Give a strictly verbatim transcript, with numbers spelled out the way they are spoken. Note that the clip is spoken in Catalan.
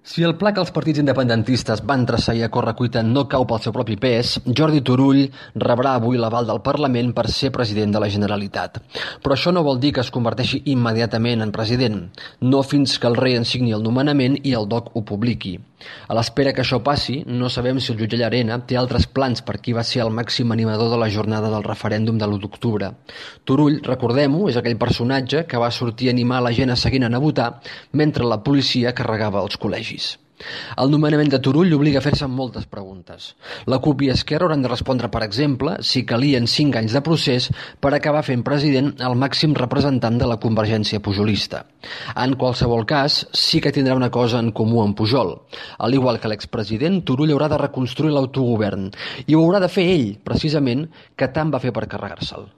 Si el pla que els partits independentistes van traçar i a correcuita no cau pel seu propi pes, Jordi Turull rebrà avui l'aval del Parlament per ser president de la Generalitat. Però això no vol dir que es converteixi immediatament en president, no fins que el rei en signi el nomenament i el D O C ho publiqui. A l'espera que això passi, no sabem si el jutge Llarena té altres plans per qui va ser el màxim animador de la jornada del referèndum de l'u d'octubre. Turull, recordem-ho, és aquell personatge que va sortir a animar la gent a seguir anant a votar mentre la policia carregava els col·legis. El nomenament de Turull obliga a fer-se moltes preguntes. La CUP i Esquerra hauran de respondre, per exemple, si calien cinc anys de procés per acabar fent president el màxim representant de la convergència pujolista. En qualsevol cas, sí que tindrà una cosa en comú amb Pujol. Al igual que l'expresident, Turull haurà de reconstruir l'autogovern i ho haurà de fer ell, precisament, que tant va fer per carregar-se'l.